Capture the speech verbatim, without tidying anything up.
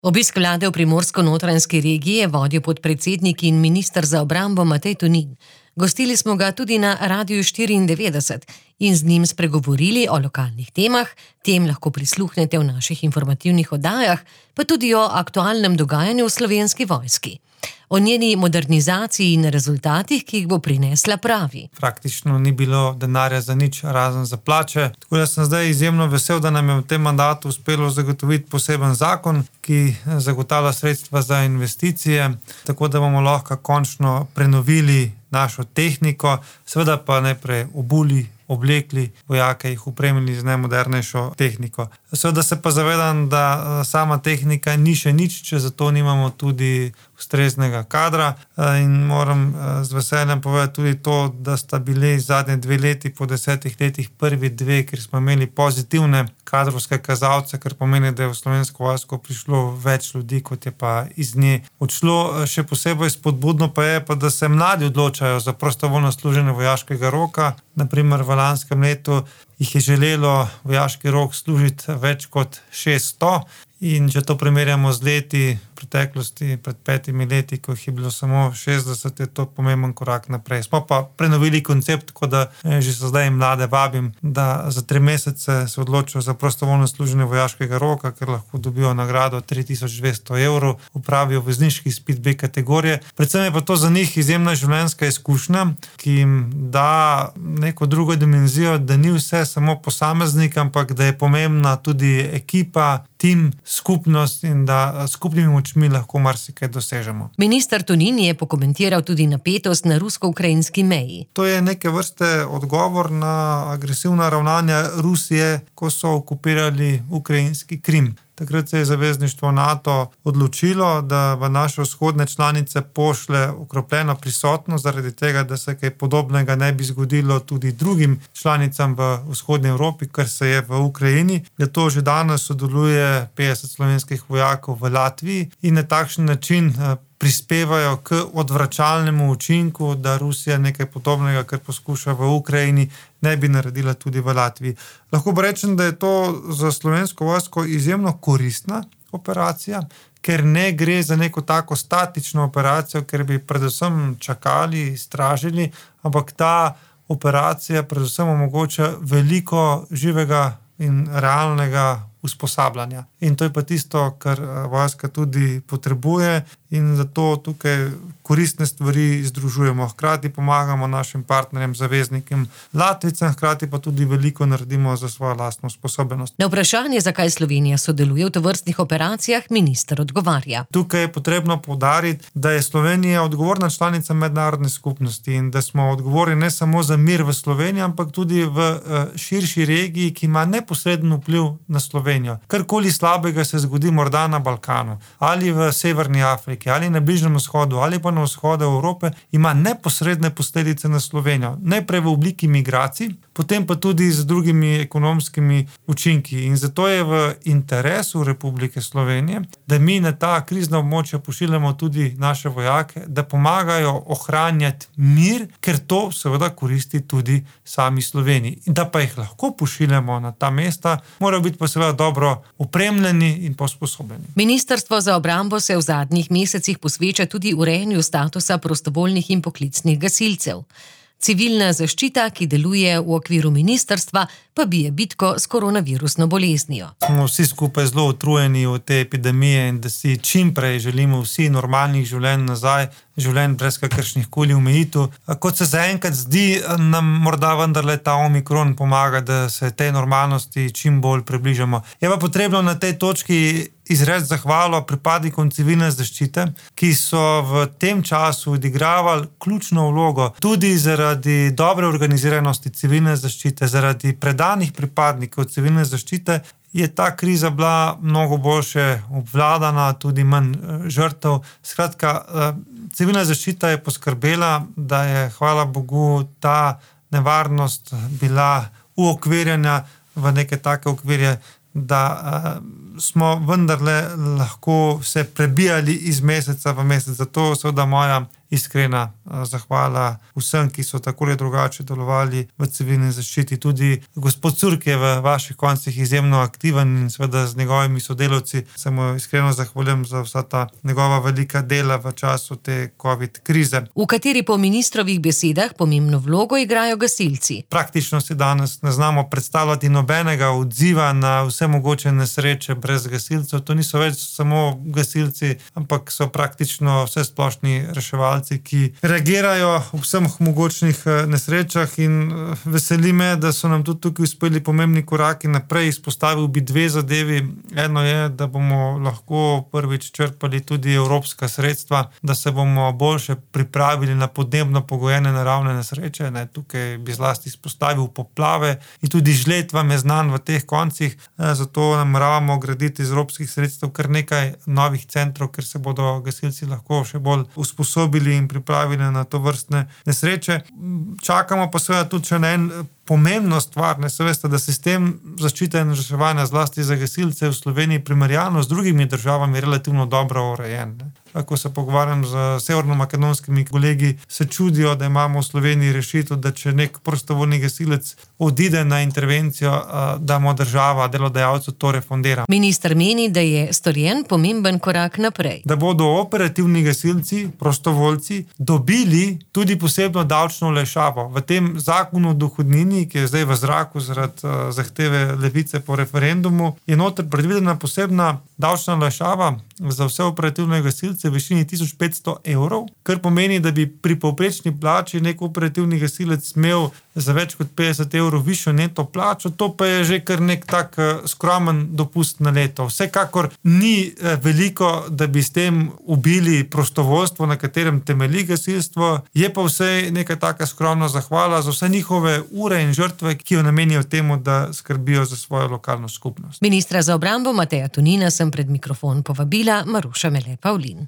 Obisk vlade v Primorsko-notranjski regiji je vodil podpredsednik in minister za obrambo Matej Tonin. Gostili smo ga tudi na Radiu štiriindevetdeset in z njim spregovorili o lokalnih temah, tem lahko prisluhnete v naših informativnih oddajah, pa tudi o aktualnem dogajanju v Slovenski vojski. O njeni modernizaciji in rezultatih, ki jih bo prinesla, pravi. Praktično ni bilo denarja za nič, razen za plače. Tako da sem zdaj izjemno vesel, da nam je v tem mandatu uspelo zagotoviti poseben zakon, ki zagotavlja sredstva za investicije, tako da bomo lahko končno prenovili našo tehniko, seveda pa najprej obuli, oblekli vojake, jih opremili z najmodernejšo tehniko. Seveda se pa zavedam, da sama tehnika ni še nič, če zato nimamo tudi ustreznega kadra, in moram z veseljem povedati tudi to, da sta bili zadnje dve leti po desetih letih prvi dve, kjer smo imeli pozitivne kadrovske kazalce, kar pomeni, da je v Slovensko vojsko prišlo več ljudi, kot je pa iz nje odšlo. Še posebej spodbudno pa je, pa, da se mladi odločajo za prostovoljno služenje vojaškega roka. Na primer v lanskem letu jih je želelo vojaški rok služiti več kot šeststo. In če to primerjamo z leti preteklosti, pred petimi leti, ko jih je bilo samo šestdeset, je to pomemben korak naprej. Smo pa prenovili koncept, tako da že se zdaj mlade vabim, da za tri mesece se odločijo za prostovoljno služenje vojaškega roka, ker lahko dobijo nagrado tri tisoč dvesto evrov, upravijo vozniški izpit B kategorije. Predvsem je pa to za njih izjemna življenjska izkušnja, ki jim da neko drugo dimenzijo, da ni vse samo posameznik, ampak da je pomembna tudi ekipa, tim, skupnost in da skupnimi močmi lahko marsikaj dosežemo. Minister Tonin je pokomentiral tudi napetost na rusko-ukrajinski meji. To je neke vrste odgovor na agresivna ravnanja Rusije, ko so okupirali ukrajinski Krim. Takrat se je zavezništvo NATO odločilo, da v naše vzhodne članice pošlje okrepljeno prisotnost, zaradi tega, da se kaj podobnega ne bi zgodilo tudi drugim članicam v vzhodni Evropi, kar se je v Ukrajini. Zato že danes sodeluje petdeset slovenskih vojakov v Latviji in na takšen način prispevajo k odvračalnemu učinku, da Rusija nekaj podobnega, kar poskuša v Ukrajini, ne bi naredila tudi v Latviji. Lahko pa rečem, da je to za Slovensko vojsko izjemno koristna operacija, ker ne gre za neko tako statično operacijo, ker bi predvsem čakali, stražili, ampak ta operacija predvsem omogoča veliko živega in realnega usposabljanja. In to je pa tisto, kar vojska tudi potrebuje in zato tukaj koristne stvari združujemo. Hkrati pomagamo našim partnerjem, zaveznikom Latvijcem, hkrati pa tudi veliko naredimo za svojo lastno sposobnost. Na vprašanje, zakaj Slovenija sodeluje v tovrstnih operacijah, minister odgovarja. Tukaj je potrebno poudariti, da je Slovenija odgovorna članica mednarodne skupnosti in da smo odgovorni ne samo za mir v Sloveniji, ampak tudi v širši regiji, ki ima neposreden vpliv na Slovenijo. Karkoli slabega se zgodi morda na Balkanu, ali v Severni Afriki, ali na Bližnjem vzhodu, ali pa na vzhodu Evrope, ima neposredne posledice na Slovenijo. Najprej v obliki migracij, potem pa tudi z drugimi ekonomskimi učinki. In zato je v interesu Republike Slovenije, da mi na ta krizna območja pošiljamo tudi naše vojake, da pomagajo ohranjati mir, ker to seveda koristi tudi sami Sloveniji. In da pa jih lahko pošiljamo na ta mesta, morajo biti pa seveda dobro opremljeni in posposobljeni. Ministrstvo za obrambo se v zadnjih mesecih posveča tudi urejanju statusa prostovoljnih in poklicnih gasilcev. Civilna zaščita, ki deluje v okviru ministrstva, pa bije bitko s koronavirusno boleznijo. Smo vsi skupaj zelo utrujeni od te epidemije in da si čim prej želimo vsi normalnih življenj nazaj, življenj brez kakršnih koli omejitev. Kot se zaenkrat zdi, nam morda vendarle ta omikron pomaga, da se tej normalnosti čim bolj približamo. Je pa potrebno na tej točki izreči zahvalo pripadnikom civilne zaščite, ki so v tem času odigravali ključno vlogo tudi zaradi dobre organiziranosti civilne zaščite, zaradi predanih pripadnikov civilne zaščite, je ta kriza bila mnogo boljše obvladana, tudi manj žrtev. Skratka, civilna zaščita je poskrbela, da je, hvala Bogu, ta nevarnost bila uokvirjena v neke take okvirje, da uh, smo vendarle lahko se prebijali iz meseca v mesec. Zato seveda moja iskrena zahvala vsem, ki so tako ali drugače delovali v civilni zaščiti. Tudi gospod Curk je v vaših koncih izjemno aktiven in seveda z njegovimi sodelavci se mu iskreno zahvaljujem za vsa ta njegova velika dela v času te covid krize. V kateri po ministrovih besedah pomembno vlogo igrajo gasilci. Praktično si danes ne znamo predstavljati nobenega odziva na vse mogoče nesreče brez gasilcev. To niso več samo gasilci, ampak so praktično vse splošni reševalci, ki reagirajo v vseh mogočnih nesrečah in veseli me, da so nam tudi tukaj uspeli pomembni koraki naprej. Izpostavil bi dve zadevi. Eno je, da bomo lahko prvič črpali tudi evropska sredstva, da se bomo boljše pripravili na podnebno pogojene naravne nesreče. Ne, tukaj bi zlasti izpostavil poplave in tudi žled vam je znan v teh koncih, zato nameravamo graditi iz evropskih sredstev kar nekaj novih centrov, kjer se bodo gasilci lahko še bolj usposobili in pripravili na to vrstne nesreče. Čakamo pa seveda tudi še na en pomembno stvar, ne se veste, da sistem zaščite in reševanja zlasti za gasilce v Sloveniji primerjalno z drugimi državami relativno dobro urejen. Ne. Ko se pogovarjam z severnomakedonskimi kolegi, se čudijo, da imamo v Sloveniji rešitev, da če nek prostovoljni gasilec odide na intervencijo, da mu država, delodajalcu to refundira. Minister meni, da je storjen pomemben korak naprej. Da bodo operativni gasilci, prostovoljci, dobili tudi posebno davčno olajšavo. V tem zakonu o dohodnini, ki je zdaj v zraku zaradi zahteve Levice po referendumu, je noter predvidena posebna davčna olajšava za vse operativne gasilce v višini tisoč petsto evrov, kar pomeni, da bi pri povprečni plači nek operativni gasilec imel za več kot petdeset evrov višjo neto plačo, to pa je že kar nek tak skromen dopust na leto. Vsekakor ni veliko, da bi s tem ubili prostovoljstvo, na katerem temelji gasilstvo, je pa vse neka taka skromna zahvala za vse njihove ure in žrtve, ki jo namenijo temu, da skrbijo za svojo lokalno skupnost. Ministra za obrambo Mateja Tonina sem pred mikrofon povabila Maruša Mele Pavlin.